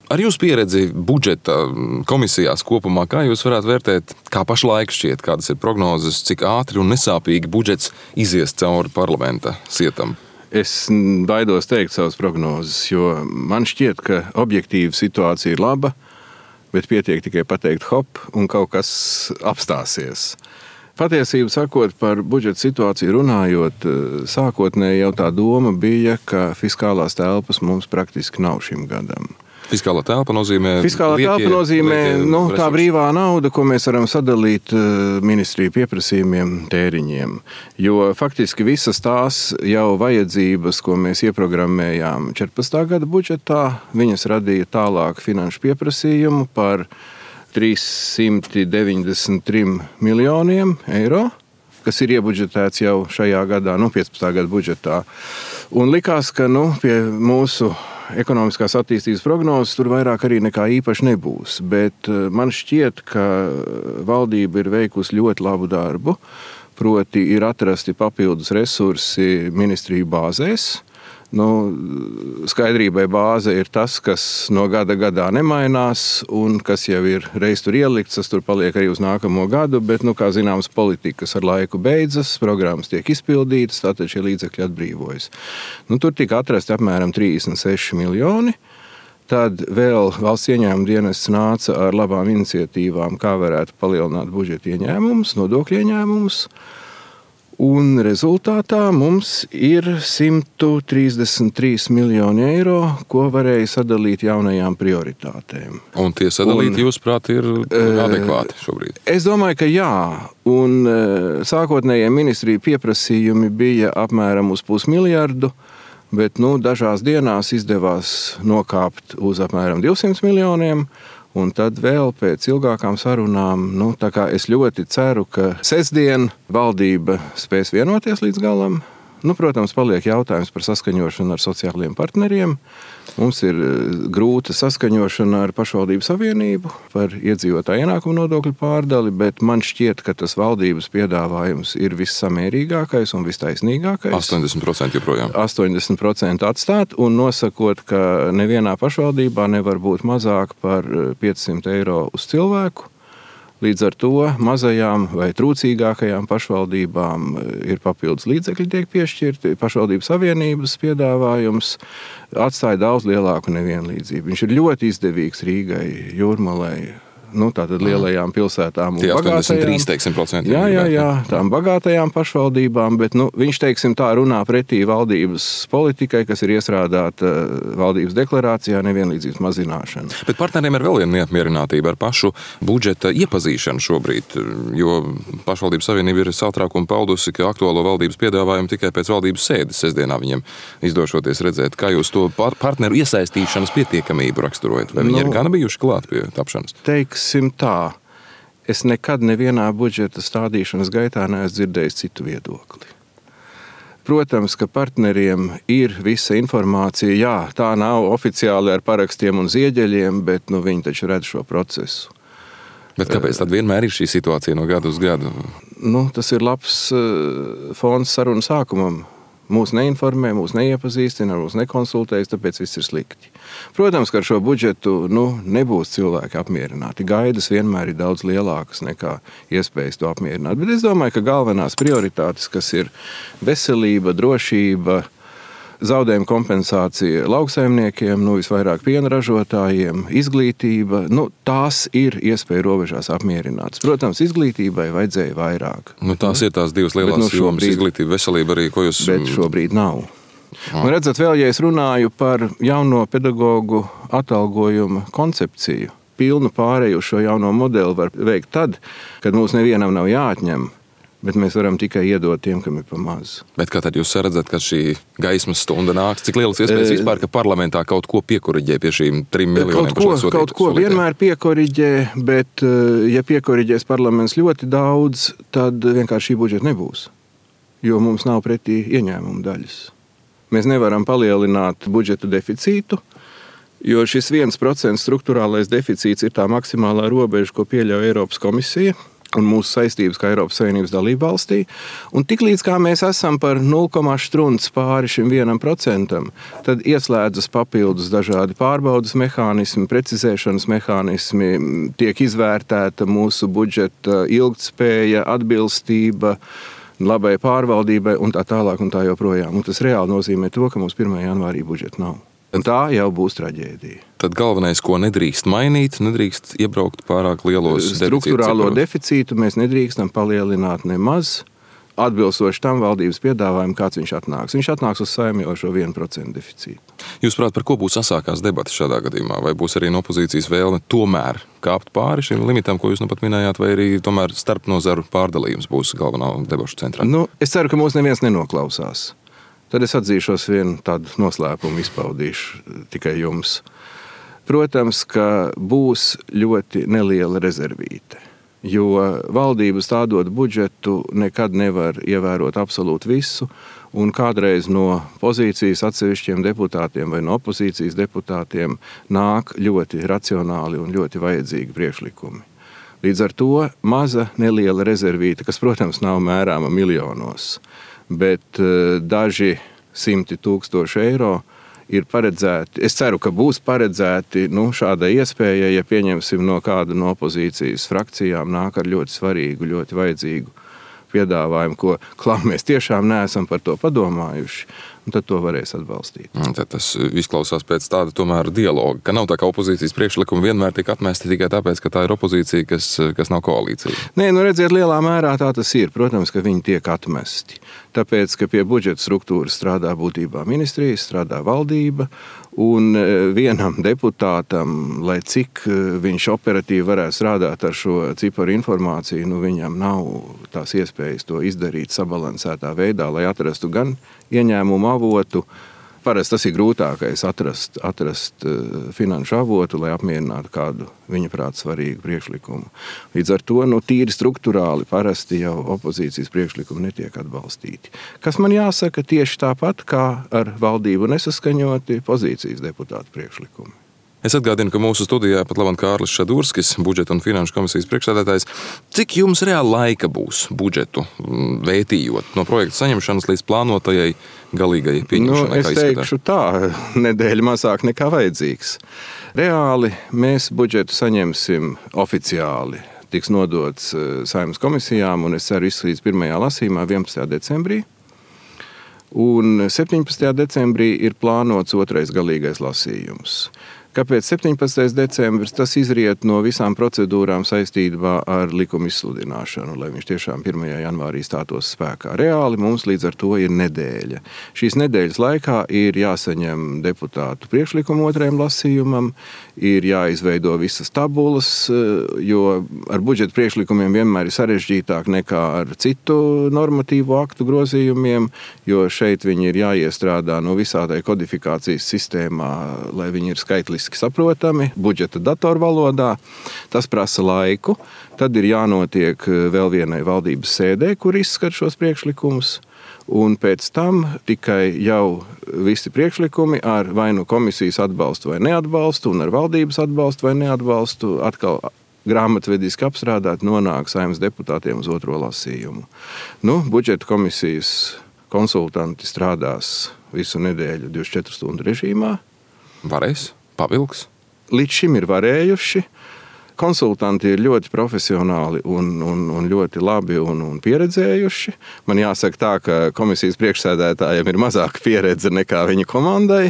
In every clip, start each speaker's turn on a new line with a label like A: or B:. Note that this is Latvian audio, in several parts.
A: Ar jūsu pieredzi budžeta komisijās kopumā, kā jūs varētu vērtēt, kā pašlaik šķiet, kādas ir prognozes, cik ātri un nesāpīgi budžets izies cauri parlamenta sietam?
B: Es baidos teikt savas prognozes, jo man šķiet, ka objektīva situācija ir laba, bet pietiek tikai pateikt hop un kaut kas apstāsies. Patiesību sakot, par budžeta situāciju runājot, sākotnēji jau tā doma bija, ka fiskālās telpas mums praktiski nav šim gadam.
A: Fiskālā telpa nozīmē
B: tā brīvā nauda, ko mēs varam sadalīt ministriju pieprasījumiem, tēriņiem. Jo faktiski visas tās jau vajadzības, ko mēs ieprogrammējām 14. gada budžetā, viņas radīja tālāk finanšu pieprasījumu par 393 miljoniem eiro, kas ir iebudžetēts jau šajā gadā, 15. gada budžetā. Un likās, ka pie mūsu ekonomiskās attīstības prognozes tur vairāk arī nekā īpaši nebūs. Bet man šķiet, ka valdība ir veikusi ļoti labu darbu, proti ir atrasti papildus resursi ministriju bāzēs. Skaidrībai bāze ir tas, kas no gada gadā nemainās un kas jau ir reiz tur ielikts, tas tur paliek arī uz nākamo gadu, bet, kā zināms, politikas ar laiku beidzas, programmas tiek izpildītas, tātad šie līdzekļi atbrīvojas. Tur tika atrasti apmēram 36 miljoni. Tad vēl valsts ieņēmuma dienests nāca ar labām iniciatīvām, kā varētu palielināt budžeta ieņēmumus, nodokļu ieņēmumus. Un rezultātā mums ir 133 miljoni eiro, ko varēja sadalīt jaunajām prioritātēm.
A: Un tie sadalīti, jūsuprāt, ir adekvāti šobrīd?
B: Es domāju, ka jā. Un sākotnējie ministriju pieprasījumi bija apmēram uz 500 miljardu, bet dažās dienās izdevās nokāpt uz apmēram 200 miljoniem. Un tad vēl pēc ilgākām sarunām, tā kā es ļoti ceru, ka sestdien valdība spēs vienoties līdz galam. Protams, paliek jautājums par saskaņošanu ar sociālajiem partneriem. Mums ir grūta saskaņošana ar pašvaldību savienību par iedzīvotāju ienākumu nodokļu pārdali, bet man šķiet, ka tas valdības piedāvājums ir vissamērīgākais un vistaisnīgākais.
A: 80% joprojām.
B: 80% atstāt un nosakot, ka nevienā pašvaldībā nevar būt mazāk par 500 eiro uz cilvēku. Līdz ar to mazajām vai trūcīgākajām pašvaldībām ir papildus līdzekļi tiek piešķirti. Pašvaldību savienības piedāvājums atstāja daudz lielāku nevienlīdzību. Viņš ir ļoti izdevīgs Rīgai, Jūrmalai, tātad lielajām pilsētām un bagātajām.
A: 83%.
B: Jā, tām bagātajām pašvaldībām, bet viņš, tā runā pretī valdības politikai, kas ir iestrādāta valdības deklarācijā, nevienlīdzības mazināšana.
A: Bet partneriem ir vēl viena neapmierinātība ar pašu budžeta iepazīšanu šobrīd, jo pašvaldības savienība ir satraukumu paudusi, ka aktuālo valdības piedāvājumu tikai pēc valdības sēdes sestdienā viņiem izdošoties redzēt. Kā jūs to partneru iesaistīšanas pietiekamību raksturojat? Vai viņi ir gana bijuši klāt pie tapšanas?
B: Tā. Es nekad nevienā budžeta stādīšanas gaitā neesmu dzirdējis citu viedokli. Protams, ka partneriem ir visa informācija. Jā, tā nav oficiāli ar parakstiem un zieģeļiem, bet viņi taču redz šo procesu.
A: Bet kāpēc tad vienmēr ir šī situācija no gada uz gadu?
B: Tas ir labs fons sarunu sākumam. Mūs neinformē, mūs neiepazīstina, mūs nekonsultējas, tāpēc viss ir slikti. Protams, ka ar šo budžetu nebūs cilvēki apmierināti. Gaidas vienmēr ir daudz lielākas nekā iespējas to apmierināt. Bet es domāju, ka galvenās prioritātes, kas ir veselība, drošība, zaudējuma kompensācija lauksaimniekiem, visvairāk piena ražotājiem, izglītība, tās ir iespēja robežās apmierinātas. Protams, izglītībai vajadzēja vairāk.
A: Tās ir tās divas lielās jomas, izglītība, veselība arī, ko jūs...
B: Bet šobrīd nav. Un redzat, vēl, ja es runāju par jauno pedagogu atalgojuma koncepciju, pilnu pārēju šo jauno modeli var veikt tad, kad mums nevienam nav jāatņem, bet mēs varam tikai iedot tiem, kam ir pa maz.
A: Bet kā tad jūs redzat, ka šī gaismas stunda nāks? Cik lielas iespējas vispār, ka parlamentā kaut ko piekoriģē pie šīm 3 miljoniem?
B: Kaut ko vienmēr piekoriģē, bet ja piekoriģēs parlaments ļoti daudz, tad vienkārši šī budžeta nebūs. Jo mums nav pretī ieņēmumu daļas. Mēs nevaram palielināt budžeta deficītu, jo šis 1% struktūrālais deficīts ir tā maksimālā robeža, ko pieļauj Eiropas komisija. un mūsu saistības kā Eiropas Savienības dalība valstī. Un tiklīdz kā mēs esam par 0,1 pāri šim 1%, tad ieslēdzas papildus dažādi pārbaudas mehānismi, precizēšanas mehānismi, tiek izvērtēta mūsu budžeta ilgtspēja, atbilstība, labai pārvaldībai un tā tālāk un tā joprojām. Un tas reāli nozīmē to, ka mums 1. janvārī budžeta nav. Un tā jau būs traģēdija.
A: Tad galvenais, ko nedrīkst mainīt, nedrīkst iebraukt pārāk lielos
B: Struktūrālo deficītu mēs nedrīkstam palielināt nemaz, atbilstoši tam valdības piedāvājumu, kāds viņš atnāks. Viņš atnāks uz Saeimu jau šo 1% deficītu.
A: Jūs prāt, par ko būs asākās debatas šādā gadījumā? Vai būs arī no opozīcijas vēlme tomēr kāpt pāri šim limitam, ko jūs nu pat minējāt, vai arī tomēr starpnozaru pārdalījums būs galvenā debašu centrā?
B: Es ceru, ka mūs neviens nenoklausās. Tad es atzīšos vienu tādu noslēpumu, izpaudīšu tikai jums. Protams, ka būs ļoti neliela rezervīte, jo valdības stādot budžetu nekad nevar ievērot absolūti visu, un kādreiz no pozīcijas atsevišķiem deputātiem vai no opozīcijas deputātiem nāk ļoti racionāli un ļoti vajadzīgi priekšlikumi. Līdz ar to maza neliela rezervīte, kas, protams, nav mērāma miljonos, bet daži 100 000 eiro ir paredzēti. Es ceru, ka būs paredzēti šāda iespēja, ja pieņemsim no kāda no opozīcijas frakcijām nāk ar ļoti svarīgu, ļoti vajadzīgu piedāvājumu, ko mēs tiešām neesam par to padomājuši, un tad to varēs atbalstīt.
A: Tad tas izklausās pēc tāda tomēr dialoga, ka nav tā, ka opozīcijas priekšlikumi vienmēr tiek atmesti tikai tāpēc, ka tā ir opozīcija, kas nav koalīcija.
B: Nē, redziet, lielā mērā tā tas ir. Protams, ka viņi tiek atmesti. Tāpēc, ka pie budžeta struktūras strādā būtībā ministrijas, strādā valdība, un vienam deputātam, lai cik viņš operatīvi varētu strādāt ar šo ciparu informāciju, viņam nav tās iespējas to izdarīt sabalansētā veidā, lai atrastu gan ieņēmumu avotu. Parasti tas ir grūtākais atrast finanšu avotu, lai apmierinātu kādu viņa prāt svarīgu priekšlikumu. Līdz ar to tīri struktūrāli parasti jau opozīcijas priekšlikumi netiek atbalstīti. Kas man jāsaka tieši tāpat, kā ar valdību nesaskaņoti pozīcijas deputātu priekšlikumi.
A: Es atgādinu, ka mūsu studijā pat labam Kārlis Šadurskis, budžeta un finanšu komisijas priekšsēdētājs. Cik jums reāli laika būs budžetu vētījot no projekta saņemšanas līdz plānotajai galīgajai pieņemšanai?
B: Es teikšu tā, nedēļa mazāk nekā vajadzīgs. Reāli mēs budžetu saņemsim oficiāli. Tiks nodots Saeimas komisijām, un es ceru izskatīt pirmajā lasījumā 11. decembrī. Un 17. decembrī ir plānots otrais galīgais lasījums. Kāpēc 17. decembris? Tas izriet no visām procedūrām saistībā ar likuma izsludināšanu, lai viņš tiešām 1. janvārī stātos spēkā. Reāli mums līdz ar to ir nedēļa. Šīs nedēļas laikā ir jāsaņem deputātu priekšlikumu otrajam lasījumam, ir jāizveido visas tabulas, jo ar budžeta priekšlikumiem vienmēr ir sarežģītāk nekā ar citu normatīvu aktu grozījumiem, jo šeit viņi ir jāiestrādā no visādai kodifikācijas sistēmā, lai viņi ir skaitliski saprotami, budžeta datorvalodā. Tas prasa laiku. Tad ir jānotiek vēl vienai valdības sēdē, kur izskat šos priekšlikumus. Un pēc tam tikai jau visi priekšlikumi ar vai nu komisijas atbalstu vai neatbalstu, un ar valdības atbalstu vai neatbalstu atkal grāmatvediski apstrādāt nonāk Saeimas deputātiem uz otro lasījumu. Budžeta komisijas konsultanti strādās visu nedēļu 24 stundu režīmā.
A: Varēs? Pavilks?
B: Līdz šim ir varējuši. Konsultanti ir ļoti profesionāli un ļoti labi un pieredzējuši. Man jāsaka tā, ka komisijas priekšsēdētājiem ir mazāka pieredze nekā viņa komandai.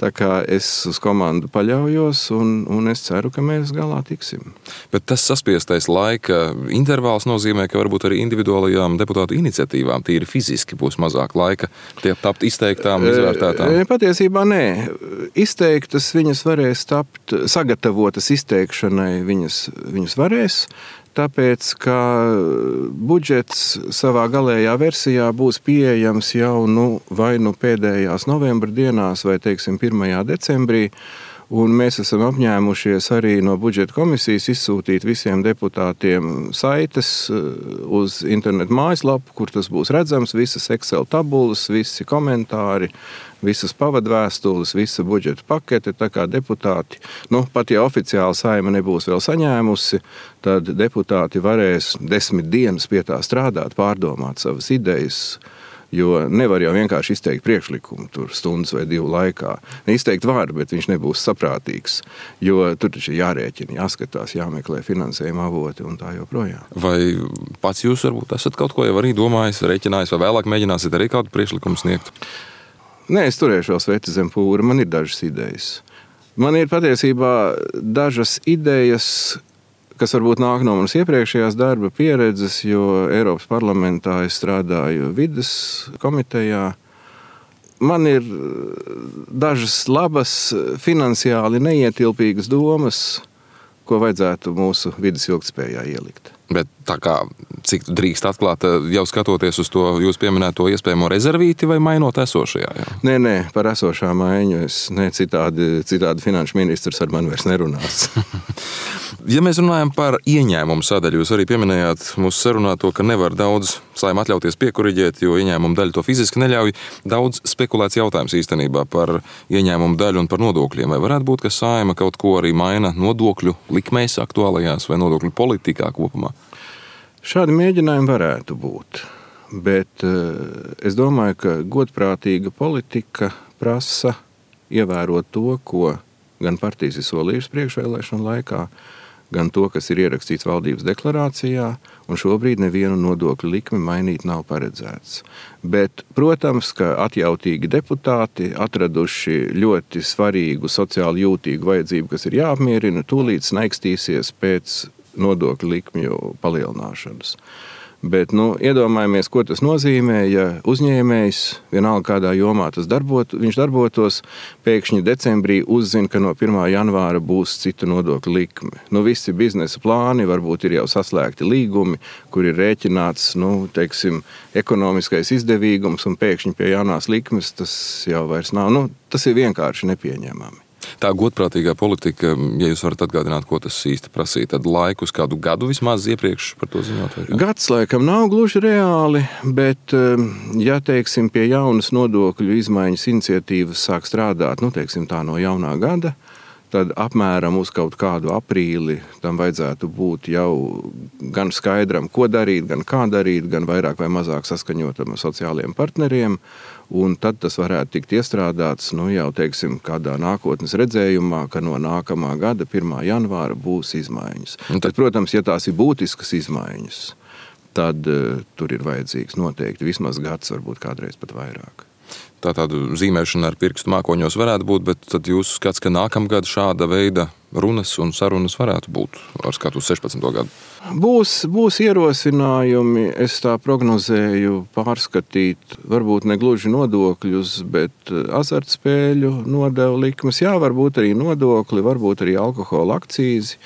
B: Tā kā es uz komandu paļaujos un es ceru, ka mēs galā tiksim.
A: Bet tas saspiestais laika intervāls nozīmē, ka varbūt arī individuālajām deputātu iniciatīvām tīri fiziski būs mazāk laika tie tapt izteiktām, izvērtētām?
B: Patiesībā nē. Izteiktas viņas varēs tapt, sagatavotas izteikšanai viņas varēs, tāpēc, ka budžets savā galējā versijā būs pieejams jau vai pēdējās novembra dienās vai, 1. decembrī. Un mēs esam apņēmušies arī no budžeta komisijas izsūtīt visiem deputātiem saites uz internetu mājaslapu, kur tas būs redzams, visas Excel tabulas, visi komentāri, visas pavadvēstules, visa budžeta pakete. Tā kā deputāti, pat ja oficiāli Saeima nebūs vēl saņēmusi, tad deputāti varēs 10 dienas pie tā strādāt, pārdomāt savas idejas. Jo nevar jau vienkārši izteikt priekšlikumu tur stundas vai 2 laikā. Izteikt var, bet viņš nebūs saprātīgs, jo tur taču jārēķina, jāskatās, jāmeklē finansējuma avoti un tā joprojām.
A: Vai pats jūs varbūt esat kaut ko jau arī domājis, rēķinājis, vai vēlāk mēģināsiet arī kādu priekšlikumu sniegt?
B: Nē, es turēšu vēl sveci zem pūra, man ir dažas idejas. Man ir patiesībā dažas idejas, kas varbūt nāk no manas iepriekšējās darba pieredzes, jo Eiropas parlamentā es strādāju vides komitejā. Man ir dažas labas, finansiāli neietilpīgas domas, ko vajadzētu mūsu vides ilgtspējā ielikt.
A: Bet tā kā, cik drīkst atklāt, jau skatoties uz to jūs pieminēto iespējamo rezervīti vai mainot esošajā? Jau?
B: Nē, par esošā maiņu citādi finanšu ministrs ar mani vairs nerunās.
A: Ja mēs runājam par ieņēmumu sadaļu, jūs arī pieminējāt mūsu sarunā to, ka nevar daudz Saeima atļauties piekuriģēt, jo ieņēmumu daļa to fiziski neļauj. Daudz spekulēts jautājums īstenībā par ieņēmumu daļu un par nodokļiem. Vai varētu būt, ka Saeima kaut ko arī maina nodokļu likmēs aktuālajās vai nodokļu politikā kopumā?
B: Šādi mēģinājumi varētu būt, bet es domāju, ka godprātīga politika prasa ievērot to, ko gan partijas ir solījušas priekšvēlēšanu laikā, gan to, kas ir ierakstīts valdības deklarācijā, un šobrīd nevienu nodokļu likmi mainīt nav paredzēts. Bet, protams, ka atjautīgi deputāti, atraduši ļoti svarīgu, sociāli jūtīgu vajadzību, kas ir jāapmierina, tūlīt snaikstīsies pēc nodokļu likmju palielināšanas. Bet, iedomājamies, ko tas nozīmē, ja uzņēmējs, vienalga kādā jomā viņš darbotos, pēkšņi decembrī uzzina, ka no 1. janvāra būs cita nodokļu likme. Visi biznesa plāni, varbūt ir jau saslēgti līgumi, kur ir rēķināts, ekonomiskais izdevīgums, un pēkšņi pie jaunās likmes tas jau vairs nav. Tas ir vienkārši nepieņemami.
A: Tā godprātīgā politika, ja jūs varat atgādināt, ko tas īsti prasīja, tad laiku uz kādu gadu vismaz iepriekš par to ziņot?
B: Gads laikam nav gluži reāli, bet, ja pie jaunas nodokļu izmaiņas iniciatīvas sāk strādāt, tā no jaunā gada, tad apmēram uz kaut kādu aprīli tam vajadzētu būt jau gan skaidram, ko darīt, gan kā darīt, gan vairāk vai mazāk saskaņotam ar sociālajiem partneriem. Un tad tas varētu tikt iestrādāts jau kādā nākotnes redzējumā, ka no nākamā gada 1. janvāra būs izmaiņas. Tad, protams, ja tās ir būtiskas izmaiņas, tad tur ir vajadzīgs noteikti vismaz gads, varbūt kādreiz pat vairāk.
A: Tā tāda zīmēšana ar pirkstu mākoņos varētu būt, bet tad jūs skats, ka nākamgad šāda veida runas un sarunas varētu būt ar skatu uz 16. gadu?
B: Būs ierosinājumi, es tā prognozēju pārskatīt, varbūt ne gluži nodokļus, bet azartspēļu nodevu likmes. Jā, varbūt arī nodokli, varbūt arī alkohola akcīzi.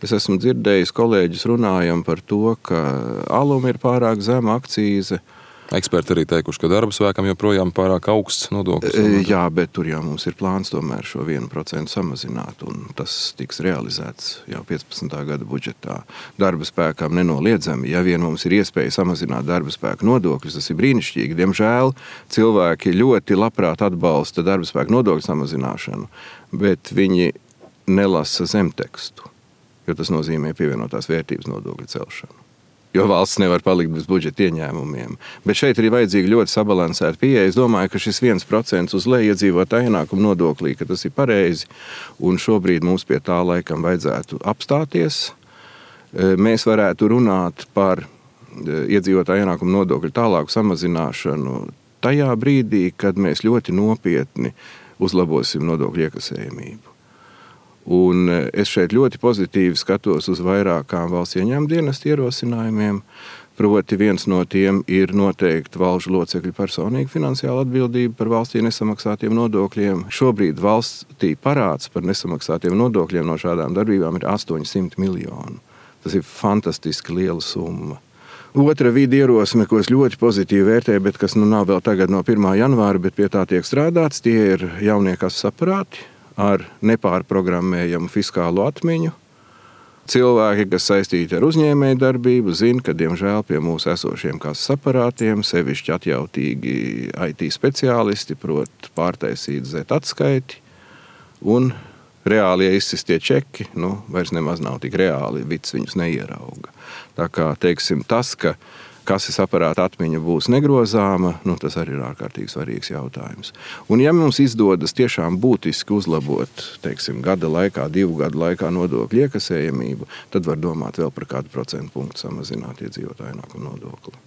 B: Es esmu dzirdējis, kolēģis runājam par to, ka alum ir pārāk zema akcīze.
A: Eksperti arī teikuši, ka darba spēkam joprojām pārāk augsts nodoklis.
B: Jā, bet tur jau mums ir plāns tomēr šo 1% samazināt, un tas tiks realizēts jau 15. gada budžetā. Darba spēkam nenoliedzami, ja vien mums ir iespēja samazināt darba spēku nodokļus, tas ir brīnišķīgi. Diemžēl cilvēki ļoti labprāt atbalsta darba spēku nodokļu samazināšanu, bet viņi nelasa zemtekstu, jo tas nozīmē pievienotās vērtības nodokļu celšanu. Jo valsts nevar palikt bez budžeta ieņēmumiem. Bet šeit ir vajadzīga ļoti sabalansēta pieeja. Es domāju, ka šis 1% uz leju iedzīvotāju ienākumu nodoklī, ka tas ir pareizi, un šobrīd mums pie tā laikam vajadzētu apstāties. Mēs varētu runāt par iedzīvotāju ienākumu nodokļu tālāku samazināšanu tajā brīdī, kad mēs ļoti nopietni uzlabosim nodokļu iekasējamību. Un es šeit ļoti pozitīvi skatos uz vairākām valsts ieņēmuma dienesta ierosinājumiem. Proti viens no tiem ir noteikti valžu locekļu personīga finansiāla atbildība par valstī nesamaksātiem nodokļiem. Šobrīd valstī parāds par nesamaksātiem nodokļiem no šādām darbībām ir 800 miljoni. Tas ir fantastiski liela summa. Otra vidi ierosme, ko es ļoti pozitīvi vērtēju, bet kas nav vēl tagad no 1. janvāra, bet pie tā tiek strādāts, tie ir jauniekas saprāti. ar nepārprogrammējamu fiskālo atmiņu. Cilvēki, kas saistīti ar uzņēmējdarbību, zina, ka, diemžēl, pie mūsu esošiem kases aparātiem sevišķi atjautīgi IT speciālisti prot pārtaisīt Z-atskaiti, un reālie izsistie čeki vairs nemaz nav tik reāli, vids viņus neierauga. Tā kā, teiksim, tas, ka kases aparāta atmiņa būs negrozāma, tas arī ir ārkārtīgi svarīgs jautājums. Un ja mums izdodas tiešām būtiski uzlabot, teiksim, gada laikā, 2 gadu laikā nodokļu iekasējamību, tad var domāt vēl par kādu procentu punktu samazināt iedzīvotāju ienākumu nodokli.